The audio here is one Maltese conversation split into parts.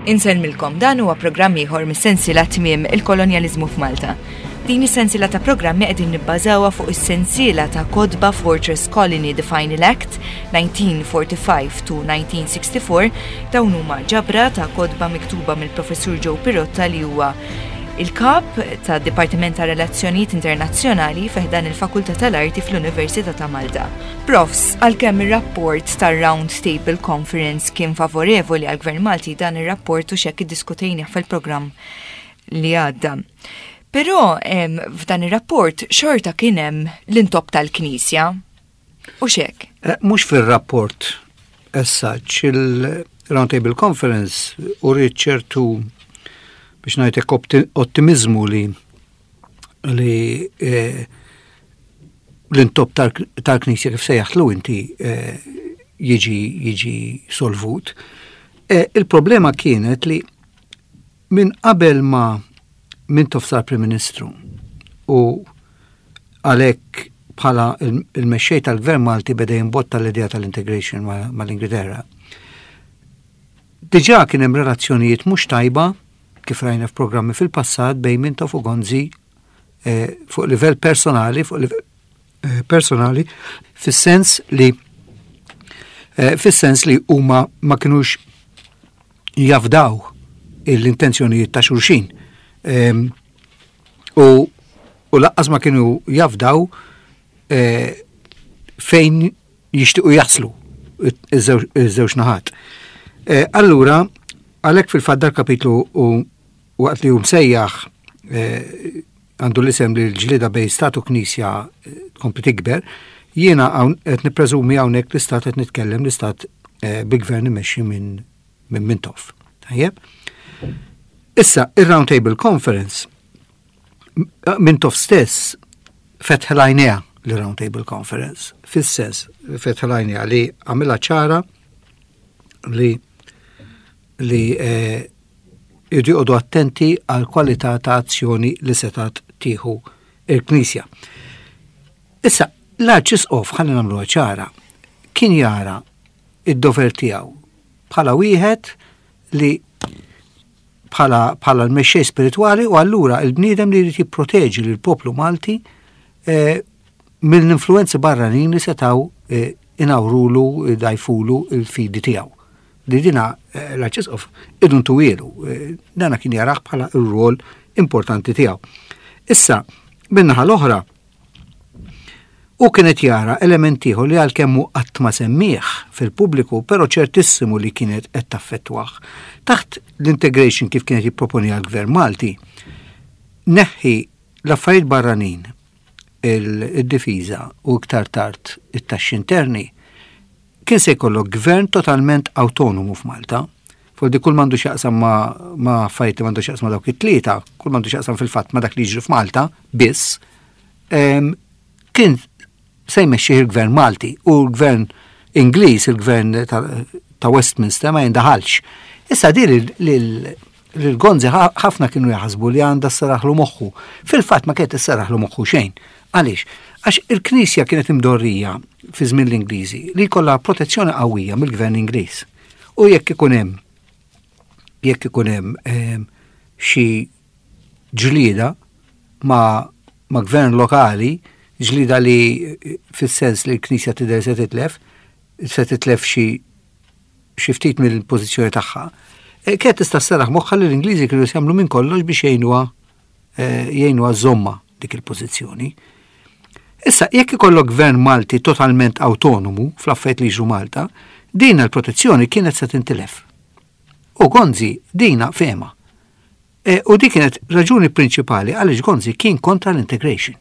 Insellmilkom, dan huwa programm ieħor mis-sensiela Tmiem il-Kolonjaliżmu f'Malta. Din is-sensiela ta' programmi qegħdin nibbażawha fuq is-sensiela ta' kotba Fortress Colony The Final Act 1945 to 1964. Dawn huma ġabra ta' kotba miktuba mill-Professur Joe Pirotta li huwa il-kap ta' Dipartiment ta' Relazzjonijiet Internazzjonali fi ħdan il-Fakultà tal-Arti fl-Università ta' Malta. Profs, għalkemm ir-rapport tar-Round Table Conference kien favorevoli għall-Gvern Malti, dan ir-rapport u x'hekk iddiskutejnih fil-programm li għadda. Però f'dan ir-rapport xorta kien hemm l-intopp tal-Knisja. U x'hekk? Eh, mhux fir-rapport as such, il-Round Table Conference u ċertu biex ngħidlek ottimizmu li li eh, l-intopp tal-Knisja kif sejjaħtlu inti eh, jiġi jiġi solvut. Eh, il-problema kienet li minn qabel ma Mintoff sar Prim Ministru u għalhekk bħala il-mexxej tal-Gvern Malti beda jimbotta l-idea tal-integration mal-Ingilterra. Diġà kien hemm relazzjonijiet mhux tajba kif rajna f'programmi fil-passat bejn Mintoff u Gonzi eh, fuq livell personali, fuq livell eh, personali, fis-sens li eh, fis-sens li huma ma kinux jafdaw l-intenzjonijiet ta' xulxin. Ehm, u, u laqqas ma kienu jafdaw fejn jixtiequ jaslu iż-żewġ naħat. Allura, għalhekk fil-fatt dal-kapitlu u waqt li hu msejjaħ eh, għandu l-isem li l-ġlida bejn stat u knisja eh, tkompli tikber, jiena qed nippreżumi hawnhekk l-istat qed nitkellem l-istat eh, bi gvern imexxi minn minn Mintoff. Tajjeb? Issa, ir-Round Table Conference Mintoff stess fetħel għajnejha l-Round Table Conference, fis-sens fetħel għajnejha li għamilha ċara li li eh, Irridu joqogħdu attenti għall-kwalità ta' azzjoni li setgħet tieħu il-Knisja. Issa, l-Arċisqof, ħalli nagħmluha ċara, kien jara id-dover tiegħu bħala wieħed li bħala bħala l-mexxej spiritwali u allura il-bniedem li jrid jipproteġi lil poplu Malti eh, mill-influenzi barranin li setgħu eh, inawrulu, dajfulu il-fidi tiegħu. Li dina eh, l-Arċisqof idun tuwielu, eh, dana kien jaraħ bħala r-rol importanti tiegħu. Issa, minnaħa l-oħra, u kienet jara element ieħor li għalkemm hu qatt ma semmih fil-pubbliku, però ċertissimu li kienet qed taffettwah. Taħt l-integration kif kienet jipproponi għall-Gvern Malti, neħħi l-affarijiet barranin, il-difiża u iktar tard it-taxxi interni, Kien se jkollok gvern totalment awtonomu f'Malta. Fordi kull m'għandu x'jaqsam ma', ma affarijiet li m'għandu x'jaqsam ma' dawk it-tlieta, kull m'għandu x'jaqsam fil-fatt ma' dak li jiġri f'Malta biss, kien se jmexxih il-gvern Malti u l-gvern Ingliż, il-gvern ta', ta Westminster ma jindaħalx. Issa di lil Gonzi ħafna kienu jaħsbu li għandha sseraħlu moħħu. Fil-fatt ma kienet isseraħlu moħħu xejn. Għaliex? Għax il-Knisja kienet imdorrija fi żmien l-Ingliżi li jkollha protezzjoni qawwija mill-Gvern Ingliż. U jekk ikun hemm jekk ikun hemm ehm, xi ġlieda ma' ma' gvern lokali, ġlieda li fis-sens li l-Knisja tidher se titlef, se titlef xi xi ftit mill-pożizzjoni tagħha, eh, kienet tista' sserraħ moħħha li l-Ingliżi kienu jagħmlu minn kollox biex jgħinuha eh, jgħinuha żomma dik il-pożizzjoni. Issa, jekk ikollok gvern Malti totalment autonomu fl-affarijiet li jiġru Malta, din il-protezzjoni kienet se tintilef. U Gonzi dina fehma. E, u dik kienet raġuni prinċipali għaliex Gonzi kien kontra l-integration.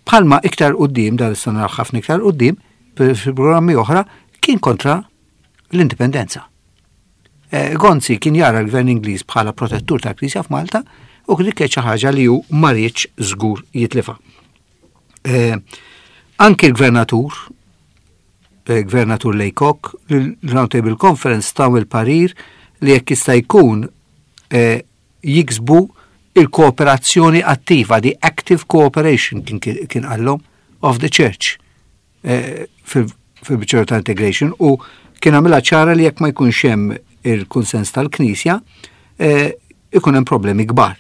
Bħalma iktar quddiem, dan issa naraw ħafna iktar quddiem, fil-programmi oħra, kien kontra l-indipendenza. E, Gonzi kien jara l-gvern Ingliż bħala protettur tal-Knisja f'Malta u dik kienet xi ħaġa li hu ma riedx żgur jitlifa. E, anki l-gvernatur, e, gvernatur Laycock, l-Round Table Conference taw il-parir li jekk jista' jkun jiksbu il-kooperazzjoni attiva, the active cooperation kien kien qallhom of the church eh, fil-biċċera ta' integration u kien għamilha ċara li jekk ma jkunx hemm il-kunsens tal-Knisja, eh, ikun hemm problemi kbar.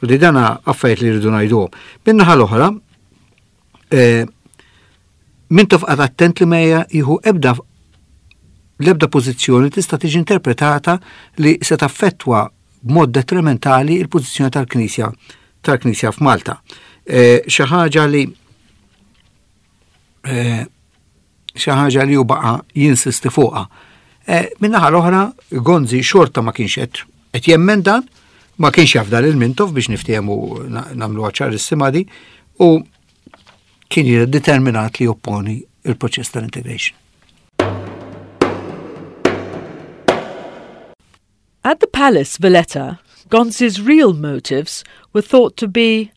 U di dana affarijiet li rridu ngħiduhom. Min-naħa l-oħra, eh, Mintoff qagħad attent li ma jieħu ebda l-ebda pożizzjoni tista' tiġi interpretata li se taffettwa b'mod detrimentali il-pożizzjoni tal-Knisja tal-Knisja f'Malta. Eh, xi ħaġa li eh, xi ħaġa li hu baqa' jinsisti fuqha. Eh, min-naħa l-oħra, Gonzi xorta ma kienx qed qed jemmen dan, ma kienx jaf dan il-Mintoff biex niftehmu nagħmlu ċarissima di, u kien determinat li jopponi il-proċess tal-integration. At the palace, Valletta, Gonzi's real motives were thought to be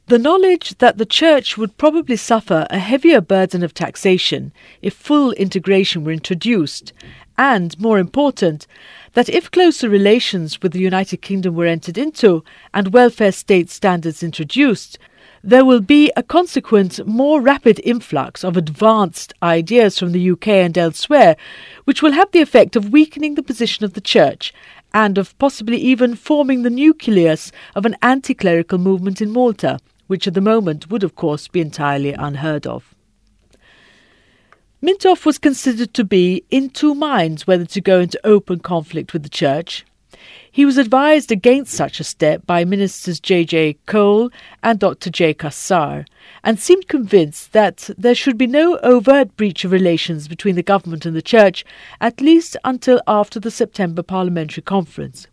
the knowledge that the church would probably suffer a heavier burden of taxation if full integration were introduced, and, more important, that if closer relations with the United Kingdom were entered into and welfare state standards introduced, there will be a consequent more rapid influx of advanced ideas from the UK and elsewhere, which will have the effect of weakening the position of the Church and of possibly even forming the nucleus of an anti clerical movement in Malta, which at the moment would, of course, be entirely unheard of. Mintoff was considered to be in two minds whether to go into open conflict with the Church. He was advised against such a step by Ministers J. J. Cole and Dr. J. Cassar, and seemed convinced that there should be no overt breach of relations between the government and the Church, at least until after the September Parliamentary Conference.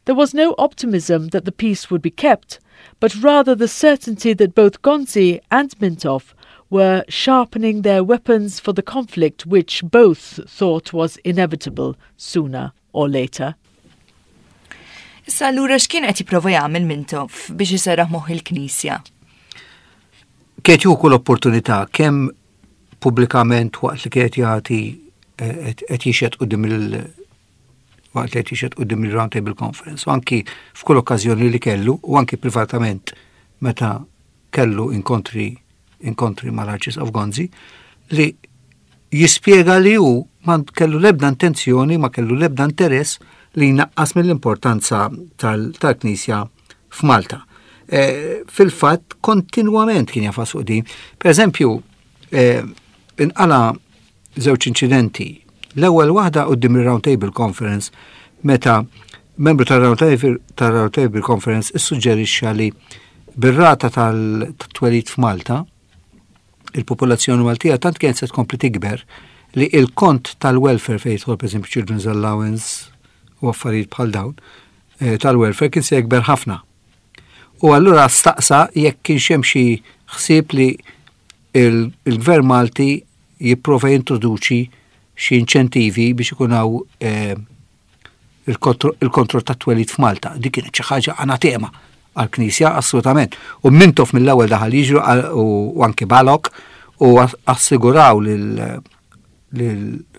There was no optimism that the peace would be kept, but rather the certainty that both Gonzi and Mintoff were sharpening their weapons for the conflict which both thought was inevitable sooner or later. Issa allura x'kien qed jipprova jagħmel Mintoff biex iserraħ moħħ il-Knisja? Kienet jieħu kull opportunità kemm pubblikament waqt li kienet jagħti eh, qed jixhed quddiem il waqt li qed jixhed quddiem il-Round Table Conference u anki f'kull okkażjoni li kellu u anki privatament meta kellu inkontri inkontri mal-Arċisqof Gonzi li jispjega li hu ma kellu l-ebda intenzjoni, ma kellu l-ebda interess li jnaqqas mill-importanza tal-Knisja f'Malta. E, Fil-fatt, kontinwament kien jafas fuq din. Per eżempju, e, inqala żewġ inċidenti. L-ewwel waħda quddiem ir-Round Table Conference meta membru tal-Round Table Conference issuġġerixxa li bir-rata tal-twelid f'Malta, il-popolazzjoni Maltija tant kienet se tkompli tikber li il-kont tal-welfare fejn jidħol pereżempju children's allowance u affarijiet bħal dawn eh, tal-welfare kien se jikber ħafna. U allura staqsa jekk kienx hemm xi ħsieb li il-Gvern Malti jipprova jintroduċi xi inċentivi biex ikun hawn eh, il-kontroll tat-twelid f'Malta. Dik kienet xi ħaġa anatema għall-Knisja assolutament. U Mintoff mill-ewwel daħal jiġru u anki Balok u assiguraw lil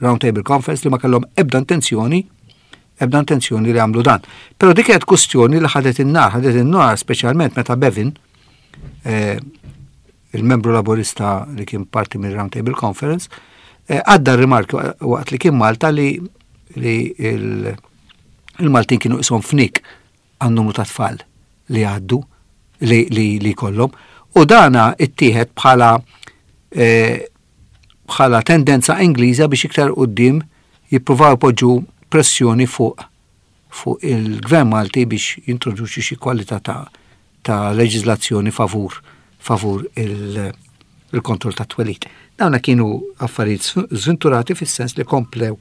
Round Table Conference li ma kellhom ebda intenzjoni ebda intenzjoni li għamlu dan. Però dik kienet kustjoni li ħadet in-nar, ħadet in-nar speċjalment meta Bevin, eh, il-membru laburista li kien parti minn Round Table Conference, eh, għadda rimarki waqt li kien Malta li li il-Maltin kienu isom fnik għan numru ta' tfal li għaddu li, li, li kollhom. U dana ittieħed bħala eh, bħala tendenza Ingliża biex iktar quddiem jippruvaw ipoġġu pressjoni fuq fuq il-Gvern Malti biex jintroduċi xi kwalità ta' ta' leġiżlazzjoni favur favur il-kontroll ta' twelid. Dawna kienu affarijiet żventurati fis-sens li komplew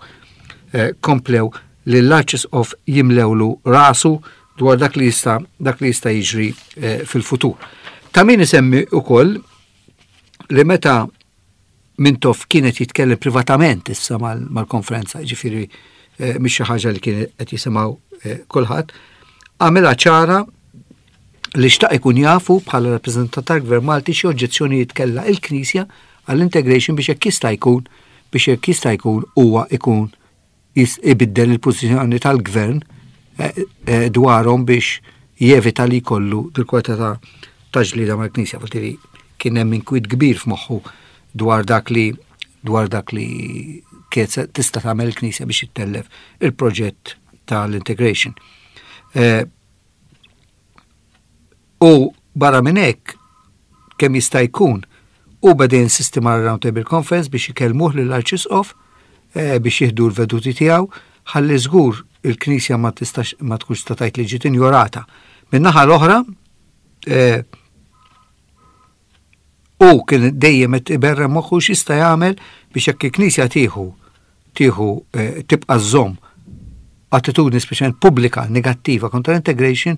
eh, komplew li l-Arċisqof jimlewlu rasu dwar dak li jista' dak li jista' jiġri eh, fil-futur. Ta' min isemmi ukoll li meta Mintoff kien qed jitkellem privatament issa mal-konferenza, ġifieri eh, mhix xi ħaġa li kien qed jisimgħu eh, kulħadd, għamilha ċara li xtaq ikun jafu bħala rappreżentant tal-Gvern Malti xi oġġezzjonijiet kellha il-Knisja għall-integration biex hekk jista' jkun biex hekk jista' jkun huwa ikun ibiddel il-pożizzjoni tal-gvern eh, eh, dwarhom biex jevita li jkollu dil-kwalità ta' ta' ġlieda mal-Knisja. Vuol kien hemm inkwiet kbir f'moħħu dwar dak li dwar dak li kienet tista' tagħmel il-Knisja biex ittellef il-proġett tal-integration. Eh, u barra minn hekk kemm jista' jkun u beda jinsisti ma' Round Table Conference biex ikellmuh lill-Arċisqof eh, biex jieħdu l-veduti tiegħu ħalli żgur il-Knisja ma tistax ma tkunx ta' tgħid li ġiet injorata. Min-naħa l-oħra, eh, u kien dejjem qed iberrem moħħu x'jista' jagħmel biex jekk il-Knisja tieħu tieħu eh, tibqa' żżomm attitudni speċjalment pubblika negattiva kontra l-integration,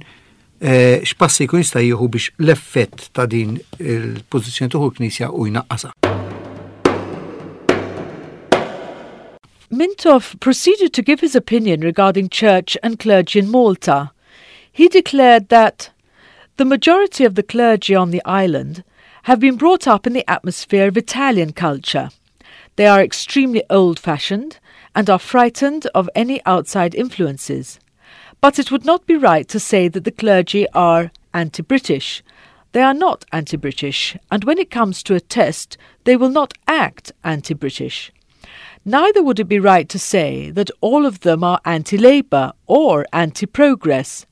eh, x'passi jkun jista' jieħu biex l-effett ta' din il-pożizzjoni tieħu l-Knisja u jnaqqasha. Mintoff proceeded to give his opinion regarding church and clergy in Malta. He declared that the majority of the clergy on the island have been brought up in the atmosphere of Italian culture. They are extremely old-fashioned and are frightened of any outside influences. But it would not be right to say that the clergy are anti-British. They are not anti-British, and when it comes to a test, they will not act anti-British. Neither would it be right to say that all of them are anti-Labour or anti-progress.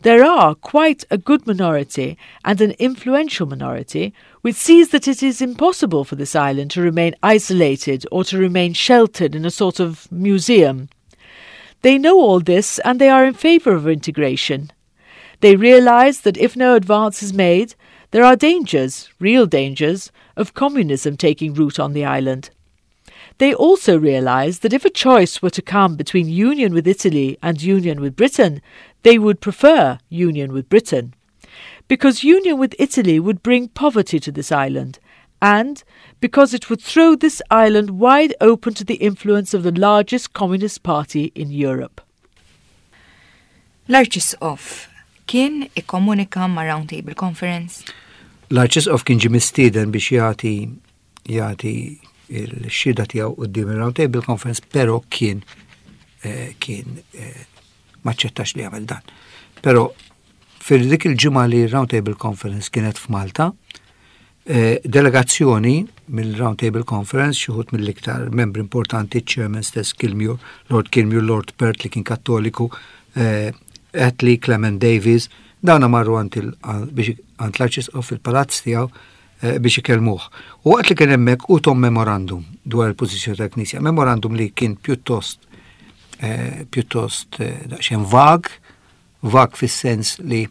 There are quite a good minority and an influential minority which sees that it is impossible for this island to remain isolated or to remain sheltered in a sort of museum. They know all this and they are in favour of integration. They realise that if no advance is made, there are dangers, real dangers, of communism taking root on the island. They also realise that if a choice were to come between union with Italy and union with Britain, they would prefer union with Britain. Because union with Italy would bring poverty to this island, and because it would throw this island wide open to the influence of the largest communist party in Europe. L-Arċisqof kien ikkomunika ma' Round Table Conference? L-Arċisqof kien ġie mistieden biex jagħti jagħti l-xhieda tiegħu quddiem il-Round Table Conference, però kien eh, kien eh, maċċettax li jagħmel dan. Però fil-dik il-ġimgħa li Round Table Conference kienet f'Malta, eh, delegazzjoni mill-Round Table Conference, xi wħud mill-iktar membri importanti, chairman stess Kilmuir, Lord Kilmuir, Lord Perth li kien kattoliku, eh, Attlee, Clement Davies, dawna marru għand l-arċisqof fil-palazz tiegħu eh, biex ikellmuh. U waqt li kien hemmhekk u tom memorandum dwar il-pożizzjoni tal-Knisja, memorandum li kien pjuttost eh, pjuttost eh, daqsxejn vag, vag fis-sens li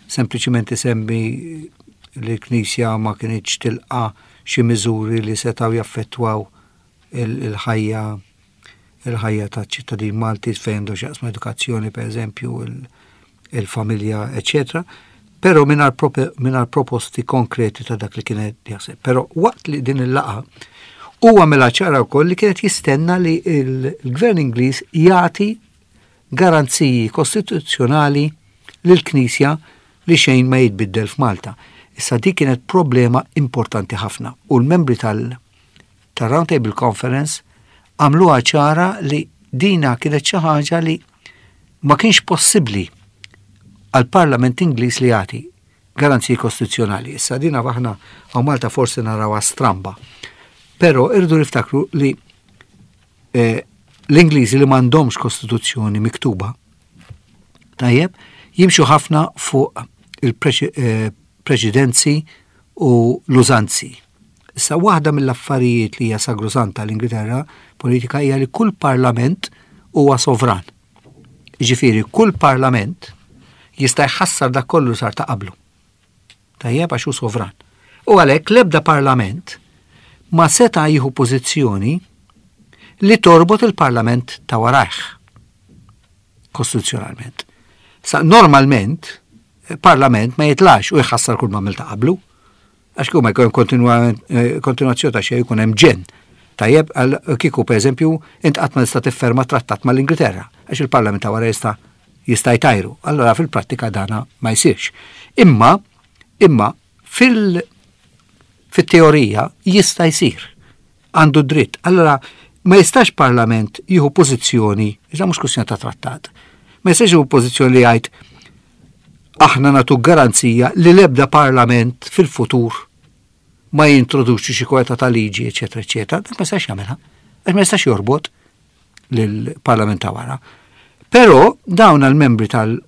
sempliċiment isemmi li l-Knisja ma kinitx tilqa xi miżuri li setgħu jaffettwaw il-ħajja il-ħajja ta' ċittadin Malti fejn għandu x'jaqsmu edukazzjoni per eżempju, il-familja, eccetera. Però mingħajr proposti konkreti ta' dak li kienet jaħseb. Però waqt li din il-laqa huwa mela ċara wkoll li kienet jistenna li l-Gvern Ingliż jagħti garanziji kostituzzjonali lill-Knisja li xejn ma jitbiddel f'Malta. Issa dik kienet problema importanti ħafna u l-membri tal- tar-Round Table Conference għamluha ċara li dina kienet xi ħaġa li ma kienx possibbli għall-Parlament Ingliż li jagħti garanziji kostituzzjonali. Issa dina aħna hawn Malta forsi narawha stramba. Però irridu niftakru li eh, l-Ingliżi li m'għandhomx kostituzzjoni miktuba, tajjeb, jimxu ħafna fuq il-preċedenzi eh, u l-użanzi. Issa waħda mill-affarijiet li hija sagrosanta l-Ingilterra politika hija li kull parlament huwa sovran. Jiġifieri kull parlament jista' jħassar dak kollu sar ta' qablu. Tajjeb għax hu sovran. U għalhekk l-ebda parlament ma seta' jieħu pożizzjoni li torbot il-parlament ta' warajh kostituzzjonalment. Sa normalment parlament ma jitlax u jħassar kull ma ta' qablu. Għax kieku ma jkun eh, kontinuazzjoni ta' xejn jkun hemm ġenn. Tajjeb, kieku pereżempju int qatt ma tista' tifferma trattat mal-Ingilterra għax il-Parlament ta' wara jista' jista' jtajru. Allora fil-prattika dana ma jsirx. Imma imma fil fit-teorija jista' jsir. Għandu dritt. Allora ma jistax parlament jieħu pożizzjoni, iżda mhux kwistjoni ta' trattat. Ma jistax jieħu pożizzjoni li jgħid aħna nagħtu garanzija li l-ebda parlament fil-futur ma jintroduċi xi kwalità ta' liġi, eċetera, eċetera, dak ma jistax jagħmilha. Għax ma jistax jorbot lill-Parlament ta' wara. Però dawn għal-membri tal-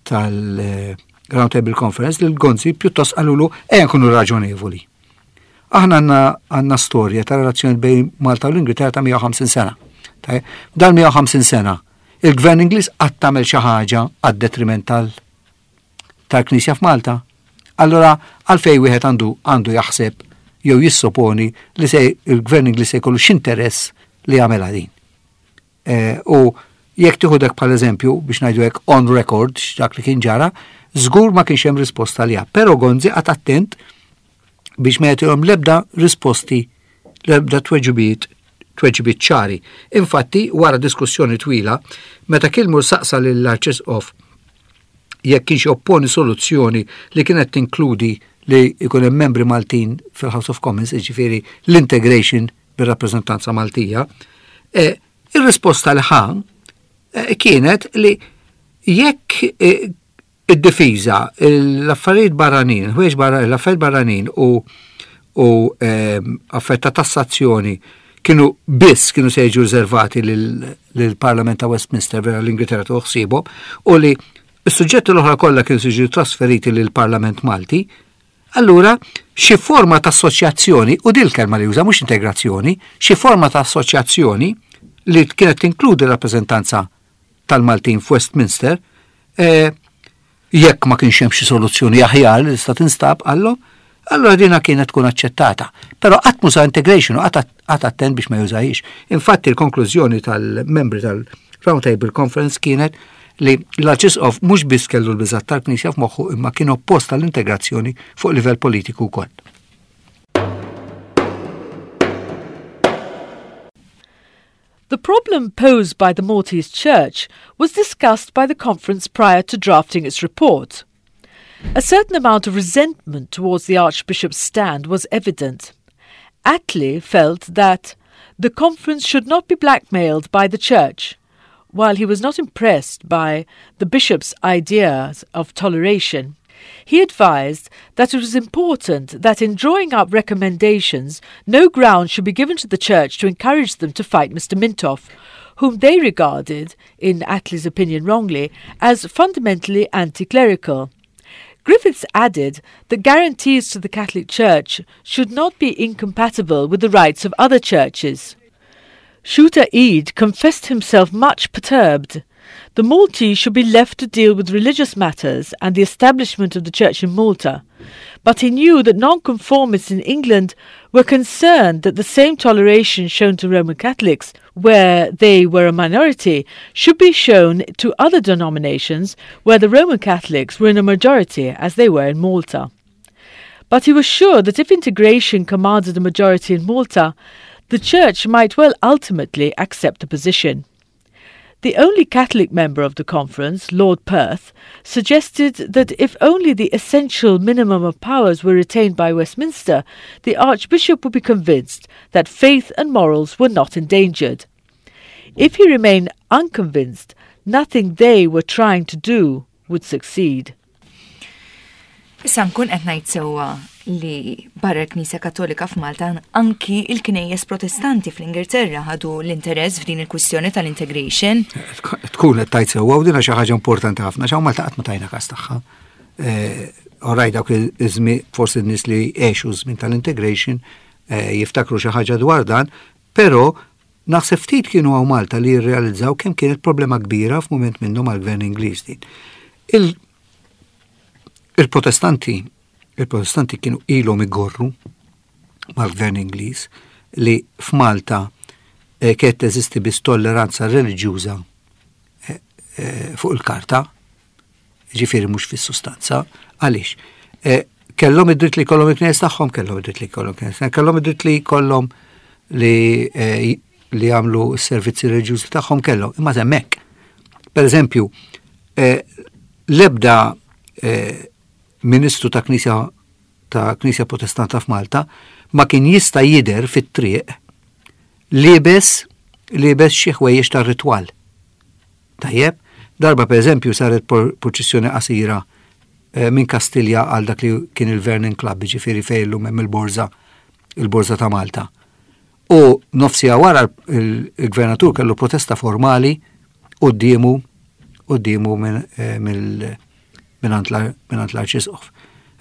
tal-Round Table Conference lil Gonzi pjuttost qalulu ejja nkunu raġonevoli. Aħna għandna għandna storja ta' relazzjoni bejn Malta u l-Ingilterra ta' 150 sena. Dan 150 sena, il-Gvern Ingliż qatt tagħmel xi ħaġa għad-detriment tal tal-Knisja f'Malta. Allora għalfej wieħed għandu għandu jaħseb jew jissoponi li se il-Gvern Ingliż se jkollu x'interess li jagħmel din. Eh, u jekk tieħu dak bħal eżempju biex ngħidu hekk on record x'dak li kien ġara, żgur ma kienx hemm risposta li Però Gonzi qagħad attent biex ma jagħtihom l-ebda risposti, l-ebda tweġibiet tweġibiet ċari. Infatti, wara diskussjoni twila, meta Kilmur saqsa lill-Arċisqof jekk kienx opponi soluzzjoni li kienet tinkludi li jkun hemm membri Maltin fil-House of Commons, jiġifieri l-integration bir-rappreżentanza Maltija, e, ir-risposta li ħa e, kienet li jekk e, id-difiża, l-affarijiet barranin, ħwejjeġ barranin, l-affarijiet barranin u u affarijiet ta' tassazzjoni kienu biss kienu se jiġu riservati lill-Parlament ta' Westminster vera l-Ingilterra tuħsibu u li s-suġġetti l-oħra kollha kienu se jiġu trasferiti lill-Parlament Malti, Allura, xi forma ta' assoċjazzjoni, u din il-kelma li juża mhux integrazzjoni, xi forma ta' assoċjazzjoni li kienet tinkludi rappreżentanza tal-Maltin f'Westminster, eh, jekk ma kienx hemm xi soluzzjoni aħjar li tista' tinstab qallhom, allura dina kienet tkun aċċettata. Però qatt muża integration u qatt attent biex ma jużahiex. Infatti l-konklużjoni tal-membri tal-Round Table Conference kienet li l-Arċisqof mhux biss kellu l-biżgħat tal-Knisja f'moħħu imma kien oppost għall-integrazzjoni fuq livell politiku wkoll. The problem posed by the Maltese Church was discussed by the conference prior to drafting its report. A certain amount of resentment towards the Archbishop's stand was evident. Attlee felt that the conference should not be blackmailed by the church, while he was not impressed by the bishop's ideas of toleration. He advised that it was important that in drawing up recommendations, no ground should be given to the church to encourage them to fight Mr. Mintoff, whom they regarded, in Attlee's opinion wrongly, as fundamentally anti clerical. Griffiths added that guarantees to the Catholic Church should not be incompatible with the rights of other churches. Shooter Eade confessed himself much perturbed. The Maltese should be left to deal with religious matters and the establishment of the church in Malta. But he knew that nonconformists in England were concerned that the same toleration shown to Roman Catholics, where they were a minority, should be shown to other denominations where the Roman Catholics were in a majority, as they were in Malta. But he was sure that if integration commanded a majority in Malta, the Church might well ultimately accept the position. The only Catholic member of the conference, Lord Perth, suggested that if only the essential minimum of powers were retained by Westminster, the Archbishop would be convinced that faith and morals were not endangered. If he remained unconvinced, nothing they were trying to do would succeed. Issa nkun qed ngħid sewwa li barra l-Knisja Kattolika f'Malta anki il-knejjes Protestanti fl-Ingilterra ħadu l-interess f'din il-kwistjoni tal-integration. Tkun qed tgħid sewwa u din xi ħaġa importanti ħafna x'hawn Malta qatt ma tajna każ tagħha. Eh, Oraj dawk iż-żmien forsi n-nies li għexu żmien tal-integration eh, jiftakru xi ħaġa dwar dan, però naħseb ftit kienu hawn Malta li jirrealizzaw kemm kienet problema kbira f'mument minnhom għall-gvern Ingliż din. Il-Protestanti, il-Protestanti kienu ilhom igorru mal-gvern Ingliż li f'Malta eh, kienet teżisti biss tolleranza reliġjuża eh, eh, fuq il-karta, ġifieri mhux fis-sustanza, għaliex? Kellhom id-dritt li jkollhom il-knejjes tagħhom, kellhom id-dritt li jkollhom knejjes, kellhom id-dritt li jkollhom li li jagħmlu s-servizzi reliġjużi tagħhom kellhom, imma hemmhekk. Per eżempju, l-ebda eh, ministru ta' knisja ta' knisja protestanta f'Malta ma kien jista' jidher fit-triq liebes liebes xi ħwejjeġ tar-ritwal. Tajjeb, darba per eżempju saret purċissjoni qasira eh, minn Kastilja għal dak li kien il-Vernon Club, ġifieri fejn illum hemm il-borża il-borża ta' Malta. U nofsija wara il-gvernatur kellu protesta formali quddiemu quddiemu eh, mingħand l-arċisqof.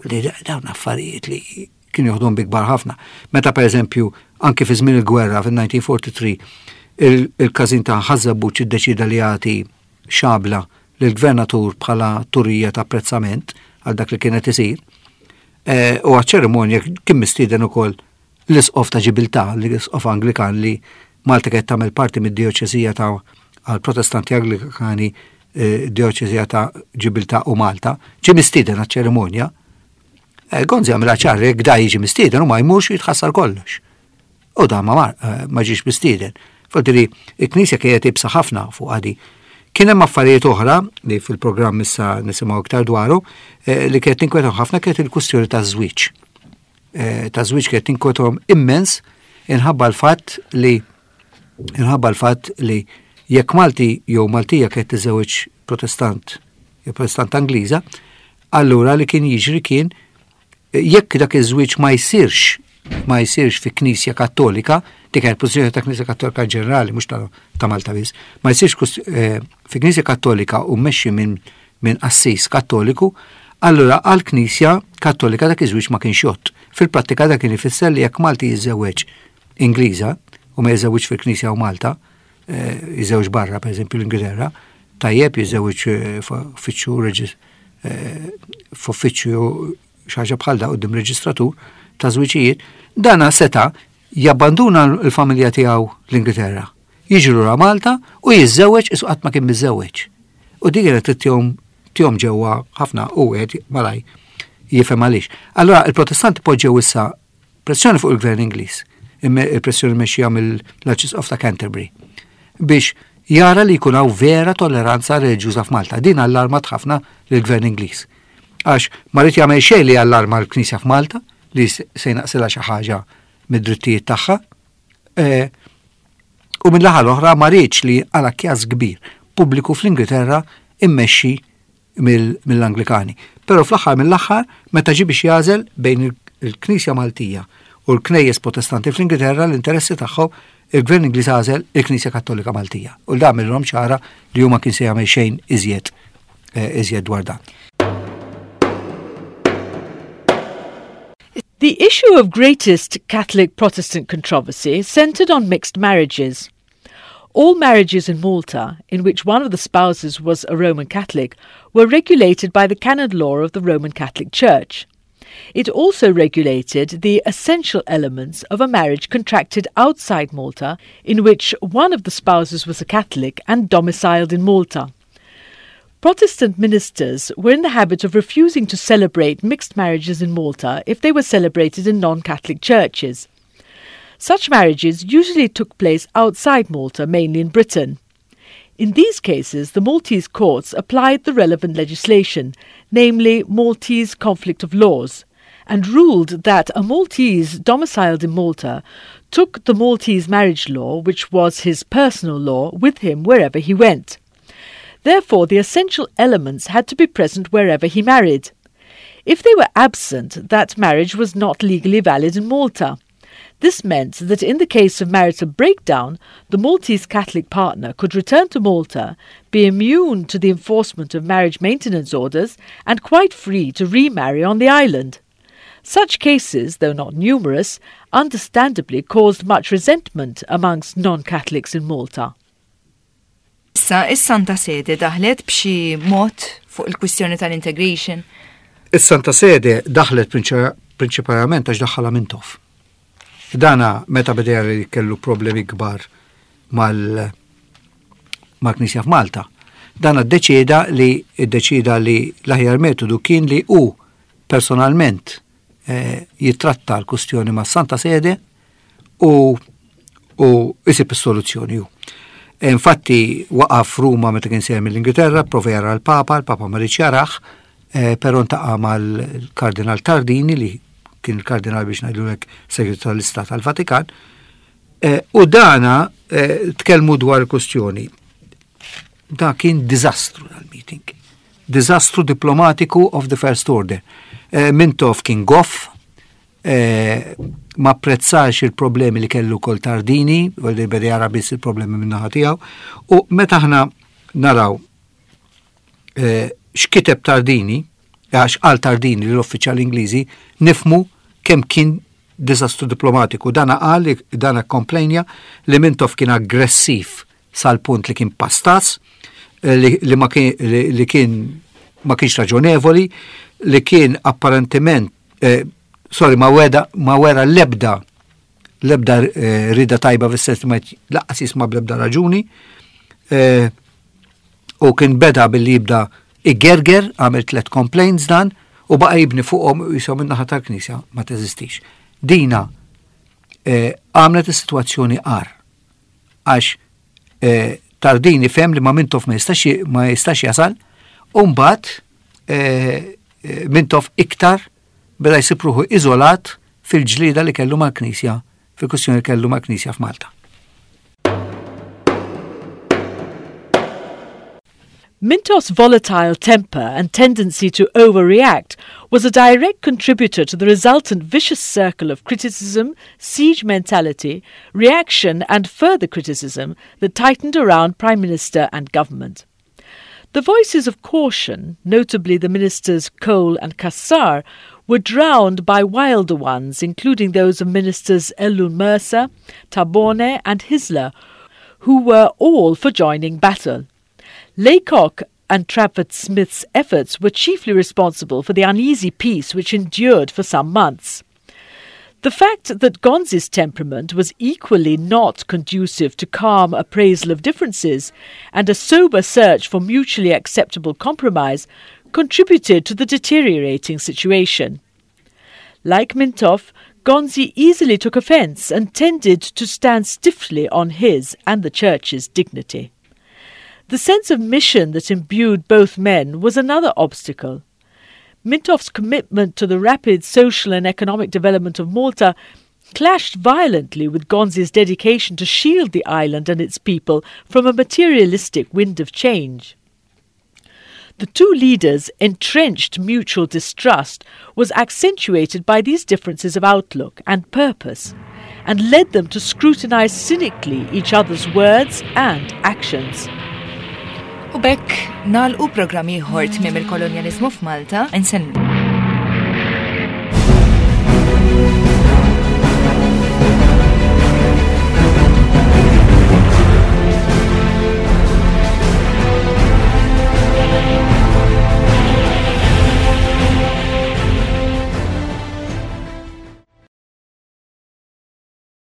Li dawn affarijiet li kienu joħdom bi kbar ħafna. Meta per eżempju, anki fi żmien il-gwerra fil-1943, il-każin ta' Ħaż-Żebbuġ iddeċida li jagħti xabla lill-gvernatur bħala turija ta' apprezzament għal dak li kienet isir. Eh, u għaċ-ċerimonja kien mistieden ukoll l-isqof ta' Ġibiltà, l-isqof Anglikan li Malta kienet tagħmel parti mid-djoċesija ta' għal Protestanti Anglikani eh, djoċesija ta' Ġibiltà u Malta, ġie mistieden għaċ-ċerimonja. Eh, Gonzi għamilha ċar jekk da jiġi mistieden u ma jmurx jitħassar kollox. U da ma mar, eh, ma ġiex mistieden. Fadri, il-Knisja kienet ibsa ħafna fuq għadi. Kien hemm affarijiet oħra li fil-programm issa nisimgħu iktar dwaru eh, li kienet tinkwetahom ħafna kienet il-kwistjoni taż-żwieġ. Ta' żwieġ kienet tinkwetahom immens inħabba l-fatt li inħabba l-fatt li jekk Malti jew Maltija kienet tiżewweġ Protestant jew Protestant Angliża, Allura li kien jiġri kien jekk dak iż-żwieġ ma jsirx ma jsirx fi Knisja Kattolika, dik kienet pożizzjoni ta' Knisja Kattolika ġenerali mhux ta' Malta biss, ma jsirx eh, fi Knisja Kattolika u mmexxi minn min qassis Kattoliku, allura għal Knisja Kattolika dak iż-żwieġ ma kienx jgħodd. Fil-prattika dak kien ifisser li jekk Malti jiżżewweġ Ingliża u ma jiżżewweġ fil-Knisja u Malta, eh, jiżewġ barra, per eżempju l-Ingilterra, tajjeb jiżewġ eh, f'uffiċċju eh, f'uffiċċju xi ħaġa bħal da quddiem reġistratur ta' żwiġijiet, dana seta' jabbanduna l-familja tiegħu l-Ingilterra. Jiġi lura Malta u jiżżewweġ isu qatt ma kien miżżewweġ. U din kienet tihom tihom ġewwa ħafna u wieħed malaj jifhem għaliex. Allora il-Protestanti poġġew issa pressjoni fuq il-gvern Ingliż, il-pressjoni mexxija mill-Arċisqof ta' Canterbury, biex jara li jkun hawn vera tolleranza reliġjuża f'Malta. Din allarmat ħafna lill-gvern Ingliż. Għax ma ried jagħmel xejn li allarma l-Knisja f'Malta li se jnaqsilha xi ħaġa mid-drittijiet tagħha. E, u mill-aħħar l-oħra ma riedx li għala kjas kbir pubbliku fl-Ingilterra immexxi mill-Anglikani. Però fl-aħħar mill-aħħar, meta ġie biex jagħżel bejn il-Knisja Maltija u l-Knejjes Protestanti fl-Ingilterra l-interessi tagħhom, il-Gvern Ingliż għażel il-Knisja Kattolika Maltija. U dan għamilhom ċara li hu ma kien se jagħmel xejn iżjed eh, iżjed dwar dan. The issue of greatest Catholic-Protestant controversy centered on mixed marriages. All marriages in Malta, in which one of the spouses was a Roman Catholic, were regulated by the canon law of the Roman Catholic Church. It also regulated the essential elements of a marriage contracted outside Malta, in which one of the spouses was a Catholic and domiciled in Malta. Protestant ministers were in the habit of refusing to celebrate mixed marriages in Malta if they were celebrated in non-Catholic churches. Such marriages usually took place outside Malta, mainly in Britain. In these cases, the Maltese courts applied the relevant legislation, namely Maltese Conflict of Laws, and ruled that a Maltese domiciled in Malta took the Maltese marriage law, which was his personal law, with him wherever he went. Therefore, the essential elements had to be present wherever he married. If they were absent, that marriage was not legally valid in Malta. This meant that in the case of marital breakdown, the Maltese Catholic partner could return to Malta, be immune to the enforcement of marriage maintenance orders, and quite free to remarry on the island. Such cases, though not numerous, understandably caused much resentment amongst non-Catholics in Malta. Issa, is-Santa Sede daħlet b'xi mod fuq il-kwistjoni tal-integration? Is-Santa Sede daħlet prinċipalment għax daħħalha Mintoff. Dana meta beda li kellu problemi kbar mal mal-Knisja f'Malta. Dana ddeċieda li ddeċida li l-aħjar metodu kien li hu personalment eh, jitratta l-kustjoni ma' Santa Sede u u isib is-soluzzjoni hu. E, infatti waqaf Ruma meta kien sejjer mill-Ingilterra, prova jara l-Papa, l-Papa ma riedx jarah, eh, però ntaqa' mal-Kardinal Tardini li kien il-kardinal biex ngħidulek segretarju tal-Istat tal-Vatikan, eh, u dana eh, tkellmu dwar il-kustjoni. Da kien diżastru dal-meeting. Diżastru diplomatiku of the first order. Mintoff kien goff, ma apprezzax il-problemi li kellu kol Tardini, u li beda jara biss il-problemi min-naħa tiegħu, u meta aħna naraw eh, x'kiteb Tardini, għax qal Tardini l-uffiċjali Ingliżi, nifmu kemm kien diżastru diplomatiku. Dana qal, dana komplejnja li Mintoff kien aggressiv sal-punt li kien pastaz, eh, li, li, ma kien, li, li kien ma kienx raġonevoli, li kien apparentement, eh, sorry, ma weda, ma wera lebda lebda eh, rida tajba fis-sens ma laqqas jisma' bl-ebda raġuni. Eh, u kien beda billi jibda igerger, għamel tlet complaints dan, u baqa jibni fuqhom u jisom in-naħa tal-Knisja ma teżistix. Dina eh, għamlet is-sitwazzjoni qar. Għax eh, Tardini fem li ma Mintoff ma jistax ma jistax jasal, u mbagħad eh, eh, Mintoff iktar beda jsib ruħu iżolat fil-ġlieda li kellu mal-Knisja, fil-kwistjoni li kellu mal-Knisja f'Malta. Mintoff's volatile temper and tendency to overreact was a direct contributor to the resultant vicious circle of criticism, siege mentality, reaction, and further criticism that tightened around Prime Minister and government. The voices of caution, notably the ministers Cole and Cassar, were drowned by wilder ones, including those of ministers Ellul Mercer, Tabone, and Hyzler, who were all for joining battle. Laycock and Tradford Smith's efforts were chiefly responsible for the uneasy peace which endured for some months. The fact that Gonzi's temperament was equally not conducive to calm appraisal of differences and a sober search for mutually acceptable compromise contributed to the deteriorating situation. Like Mintoff, Gonzi easily took offence and tended to stand stiffly on his and the church's dignity. The sense of mission that imbued both men was another obstacle. Mintoff's commitment to the rapid social and economic development of Malta clashed violently with Gonzi's dedication to shield the island and its people from a materialistic wind of change. The two leaders' entrenched mutual distrust was accentuated by these differences of outlook and purpose, and led them to scrutinize cynically each other's words and actions. U b'hekk nagħlqu programm ieħor tmiem il-kolonjaliżmu f'Malta, insellmu.